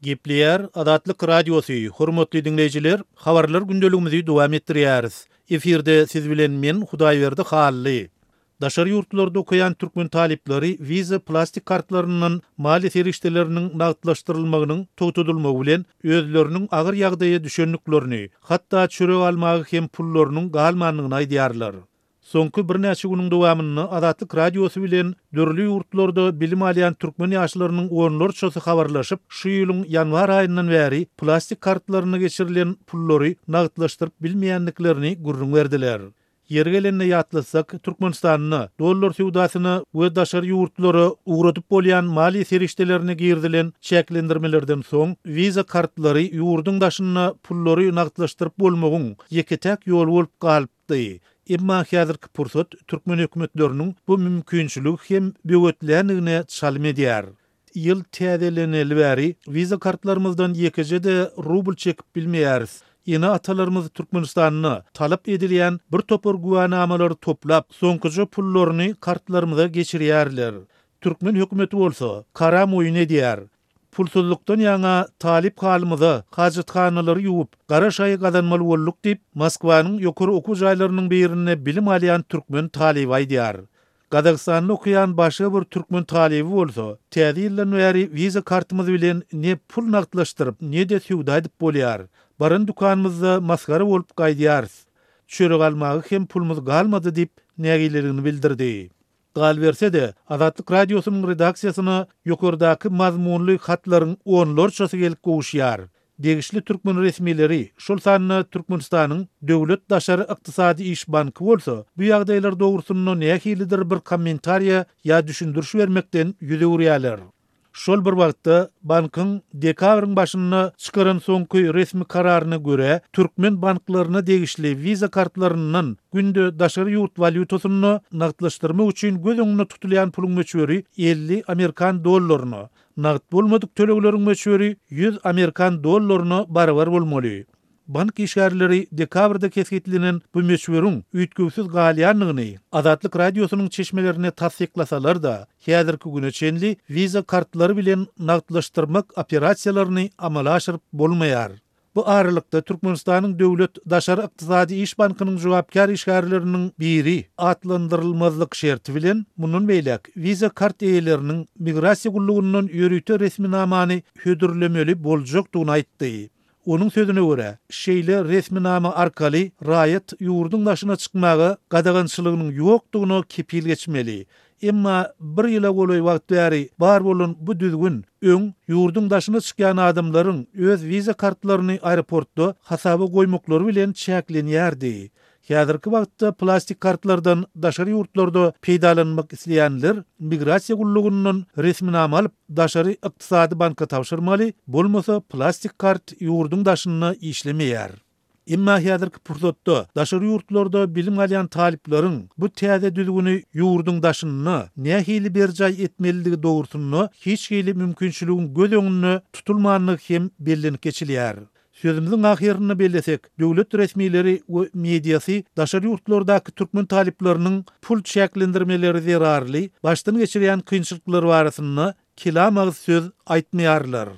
Gepleýär Azatlyk Radiosy, Hormatly diňleýjiler, habarlar gündeligimizi dowam etdirýäris. Efirde siz bilen men Hudaýberdi Hally. Daşary ýurtlarda okaýan türkmen talyplary Visa plastik kartlaryndan maliýe serişdeleriniň nagtlaşdyrylmagynyň togtadylmagy bilen özleriniň agyr ýagdaýa düşendiklerini, hatda çörek almaga hem pullarynyň galmandygyny aýdýarlar. Soňky birnäçe günüň dowamynda Azatlyk Radiosy bilen dürli ýurtlarda bilim alýan türkmen ýaşlarynyň onlarçasy habarlaşyp, şu ýylyň ýanwar aýyndan bäri plastik kartlaryna geçirilen pullary nagtlaşdyryp bilmeýändiklerini gürrüň berdiler. Ýeri gelende ýatlatsak, Türkmenistanda dollar söwdasyna we daşary ýurtlara ugradyp bolýan maliýe serişdelerine girizilen çäklendirmelerden soň, Visa kartlary ýurduň daşynda pullary nagtlaşdyryp bolmagyň ýeke-täk ýoly bolup galypdy. Emma häzirki pursat türkmen hökümetleriniň bu mümkinçiligi hem böwetländigine çalym edýär. Ýyl täzeleneli bäri Visa kartlarymyzdan ýekeje-de rubl çekip bilmeýäris. Ene-atalarymyz Türkmenistanda talap edilýän bir topar güwänamalary toplap, soňkuja pullaryny kartlarymyza geçirýärler. Türkmen hökümeti bolsa, karam oýun edýär. Pulsuzlykdan ýaňa talyp halymyza hajathanalary ýuwup, gara şaýy gazanmaly bolduk diýip, Moskwanyň ýokary okuw jaýlarynyň birinde bilim alýan türkmen talyby aýdýar. Gazagystanda okaýan başga bir türkmen talyby bolsa, Täze ýyldan bäri wiza kartymyz bilen ne pul nagtlaşdyryp, ne-de söwda edip bolýar. Baran dükanymyzda masgara bolup gaýdýarys. Çörek almaga hem pulumyz galmady diýip, nägileligini bildirdi. Galyberse-de, Azatlyk Radiosynyň redaksiýasyna ýokardaky mazmunly hatlaryň onlarçasy gelip gowuşýar. Degişli türkmen resmileri, şol sanda Türkmenistanyň Döwlet daşary ykdysady iş banky bolsa, bu ýagdaýlar dogrusynda nähilidir bir kommentariýa ýa düşündiriş bermekden ýüz öwürýärler. Şol bir wagtda, bankyň dekabryň başynda çykaran soňky resmi kararyna görä, türkmen banklaryna degişli Visa kartlaryndan günde daşary ýurt walýutasynda nagtlaşdyrmak üçin göz öňünde tutulýan puluň möçberi 50 amerikan dollaryna, nagt bolmadyk tölegleriň möçberi 100 amerikan dollaryna barabar bolmaly. Bank işgärleri dekabrda kesgitlenen bu möçberiň üýtgewsiz galýandygyny Azatlyk Radiosynyň çeşmelerine tassyklasalar-da, häzirki güne çenli Visa kartlary bilen nagtlaşdyrmak operasiýalaryny amala aşyryp bolmaýar. Bu aralykda, Türkmenistanyň Döwlet daşary ykdysady iş bankynyň jogapkär işgärleriniň biri atlandyrylmazlyk şerti bilen, mundan beýläk Visa kart eýeleriniň Migrasiýa gullugyndan ýörite resminamany hödürlemeli boljakdygyny aýtdy. Onuň sözüne görä, şeýle resminama arkaly raýat ýurduň daşyna çykmaga gadagançylygynyň ýokdugyna kepil geçmeli. Emma bir ýyla golaý wagt bäri bar bolan bu düzgün öň ýurduň daşyna çykýan adamlaryň öz wiza kartlaryny aeroportda hasaba goýmaklary bilen çäklenýärdi. Häzirki wagtda plastik kartlardan daşary ýurtlarda peýdalanmak isleýänler migrasiýa gullugyndan resminama alyp, daşary ykdysady banka tabşyrmaly, bolmasa plastik kart ýurduň daşynda işlemeýär. Emma häzirki pursatda daşary ýurtlarda bilim alýan talyplaryň bu täze düzgüni ýurduň daşynda nähili berjaý etmelidigi dogrusynda hiç hili mümkinçiligiň göz öňünde tutulmandygy hem bellenip geçilýär. Sözümiziň ahyrynda bellesek, döwlet resmileri we mediasy daşary ýurtlardaky türkmen talyplarynyň pul çäklendirmeleri zerarly başdan geçirýän kynçylyklary barasynda kelam agyz söz aýtmaýarlar.